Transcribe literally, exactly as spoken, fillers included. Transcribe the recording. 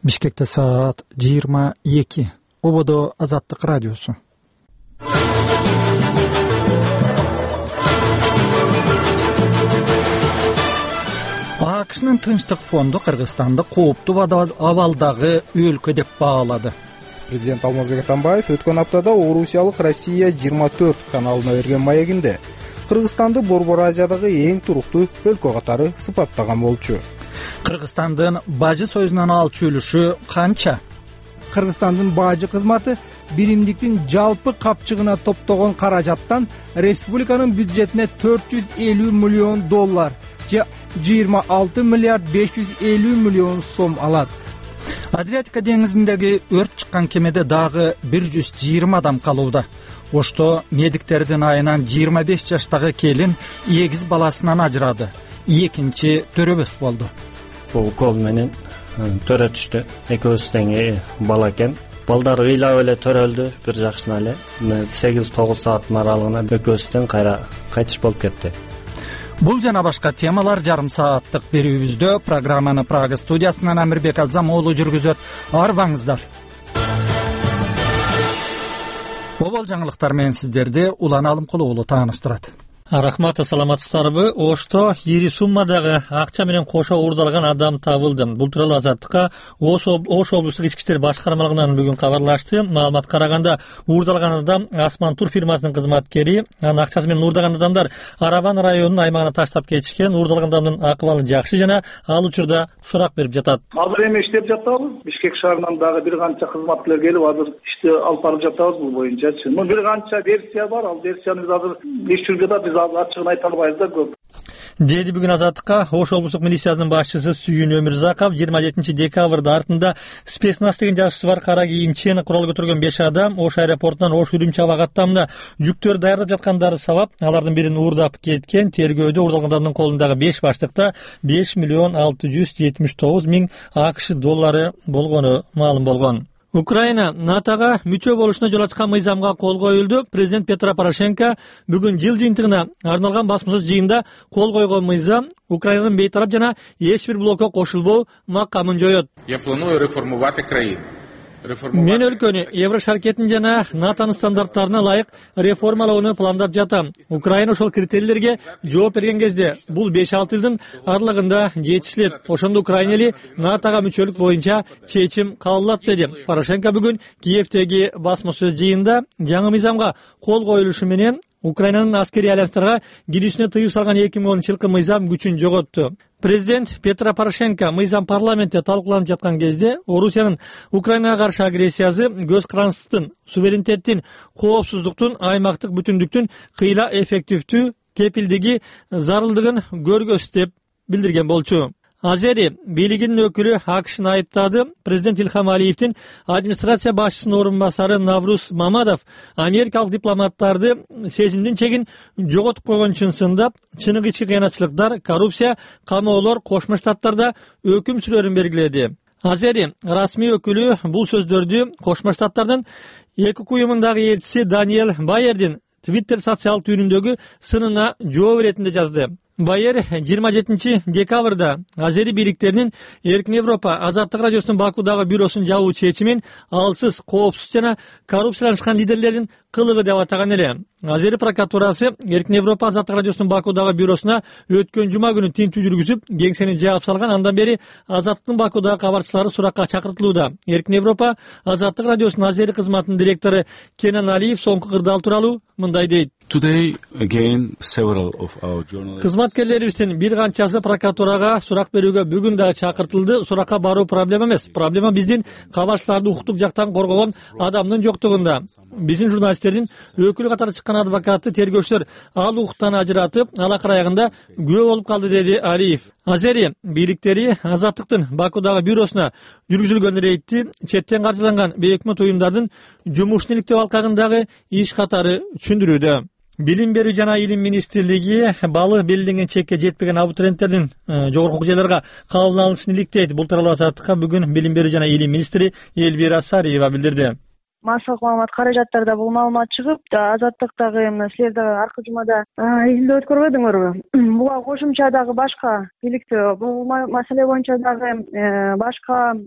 Бишкекте саат жыйырма эки. Ободо Азаттык радиосу. АКШнын Тынчтык фонду Кыргызстанды кооптуу абалдагы өлкө деп баалады. Президент Алмазбек Атамбаев өткөн аптада Орусиялык Россия жыйырма төрт каналына берген маегинде Кыргызстанды Борбор Азиядагы эң туруктуу өлкө катары сыпаттаган болчу. Кыргызстандын бажы союзунан алчу үлүшү канча? Кыргызстандын бажы кызматы биримдиктин жалпы капчыгына топтогон каражаттан республиканын бюджетине төрт жүз элүү миллион доллар же жыйырма алты миллиард беш жүз элүү миллион сом алат. Адриатика деңизиндеги өрт чыккан кемеде дагы бир жүз жыйырма адам калууда. Ошто медиктердин айынан жыйырма беш жаштагы келин эгиз баласынан ажырады. Экинчи төрөбөс болду. Бул кол менен төрө түштү. Экөөбүз тең бала экен. Балдар ыйлап эле төрөлдү бир жакшына эле. сегиз тогуз сааттын аралыгында экөөбүз тең кайра кайтыш болуп кетти. Бул жана башка темалар жарым сааттык берүүбүздө. Программаны Прага студиясынан Амирбек Азам уулу жүргүзөт. Арбаңыздар. Обол жаңылыктар менен сиздерди Улан Алымкулов уулу тааныштырат. Рахмат, саламатсыздарбы? Ошто ири суммадагы акча менен кошо уурдалган адам табылды. Бул тууралуу Азаттыкка Ош облустук ички иштер башкармалыгынан бүгүн кабарлашты. Маалыматка караганда, уурдалган адам Асман тур фирмасынын кызматкери. Анын акчасы менен уурдаган адамдар Арабан районунун аймагына таштап кетишкен. Уурдалган адамдын акыбалы жакшы жана ал учурда сурак берип жатат. Азыр эми иштеп жатабыз. Бишкек шаарынан дагы бир канча кызматкерлер келип, азыр ишти алып барып жатабыз бул боюнчачы. Мына бир канча версия бар, ал версияны биз азыр иш жүрүп жатат. Ачыгын айта албайбыз да көп. Деди бүгүн Азаттыкка Ош облустук милициясынын башчысы Сүйүн Өмүрзаков. жыйырма жетинчи декабрда артында спецназ деген жазуусу бар кара кийимчен курал көтөргөн беш адам Ош аэропортунан Ош Үрүмчү аба каттамына жүктөр даярдап жаткандары сабап алардын бирин уурдап кеткен. Тергөөдө уурдалган адамдын колундагы беш баштыкта беш миллион алты жүз жетимиш тогуз миң АКШ доллары болгону маалым болгон. Украина НАТОга мүчө болушуна жол ачкан мыйзамга кол коюлду. Президент Петро Порошенко бүгүн жыл жыйынтыгына арналган басма сөз жыйында кол койгон мыйзам Украинанын бейтарап жана эч бир блокко кошулбоо макамын жоет. Я планую реформувати країну. Мен өлкөнү Евро шаркетин жана НАТОнун стандарттарына ылайык реформалоону пландап жатам. Украина ошол критерийлерге жооп берген кезде бул беш алты жылдын аралыгында жетишилет. Ошондо Украина эли НАТОга мүчөлүк боюнча чечим кабыл алат, деди. Порошенко бүгүн Киевдеги басма сөз жыйында жаңы мыйзамга кол коюлушу менен Украинанын аскерий альянстарга кирүүсүнө тыюу салган эки миң онунчу жылкы мыйзам күчүн жоготту. Президент Петро Порошенко мыйзам парламентте талкууланып жаткан кезде Орусиянын Украинага каршы агрессиясы көз карандысыздын, суверенитеттин, коопсуздуктун, аймактык бүтүндүктүн кыйла эффективдүү кепилдиги зарылдыгын көргөзсүн деп билдирген болчу. Азери бийлигинин өкүлү АКШны айыптады. Президент Илхам Алиевдин администрация башчысынын орун басары Навруз Мамадов америкалык дипломаттарды сезимдин чегин жоготуп койгон чынсындап, чыныгы ички кыянатчылыктар, коррупция, камоолор Кошмо Штаттарда өкүм сүрөрүн белгиледи. Азери расмий өкүлү бул сөздөрдү Кошмо Штаттардын ЭКК уюмундагы элчиси Даниэль Байердин Твиттер социалдык түйүнүндөгү сынына жооп иретинде жазды. Байер жыйырма жетинчи декабрда Азери бийликтеринин Эркин Европа Азаттык радиосунун Бакудагы бюросун жабуу чечимин алсыз, коопсуз жана коррупцияланышкан лидерлердин кылыгы деп атаган эле. Азери прокуратурасы Эркин Европа Азаттык радиосунун Бакудагы бюросуна өткөн жума күнү тинтүү жүргүзүп, кеңсени жаап салган. Андан бери Азаттыктын Бакудагы кабарчылары суракка чакыртылууда. Эркин Европа Азаттык радиосунун Азери кызматынын директору Кенан Алиев соңку кырдаал тууралуу мындай дейт. Today again several of our journalists Кызматкерлерибиздин бир канчасы прокуратурага сурак берүүгө бүгүн дагы чакыртылды. Суракка баруу проблема эмес. Проблема биздин кабарчыларды укуктук жактан коргогон адамдын жоктугунда. Биздин журналисттердин өкүлү катары чыккан адвокатты тергөөчүлөр ал укуктан ажыратып, алакыр аягында күбө болуп калды, деди Алиев. Азери бийликтери Азаттыктын Бакудагы бюросуна жүргүзүлгөн рейдти четтен каржыланган бейөкмөт уюмдардын жумушун иликтөө алкагындагы иш катары түшүндүрүүдө. Билим берүү жана илим министрлиги балы белгиленген чекке жетпеген абитуриенттердин жогорку окуу жайларга кабыл алынышын иликтейт. Бул тууралуу Азаттыкка бүгүн билим берүү жана илим министри Элвира Сариева билдирди. массалык маалымат каражаттарда бул маалымат чыгып, Азаттыктагы силер дагы аркы жумада изилдөө өткөрбөдүңөрбү? Буга кошумча дагы башка иликтөө, бул маселе боюнча дагы башка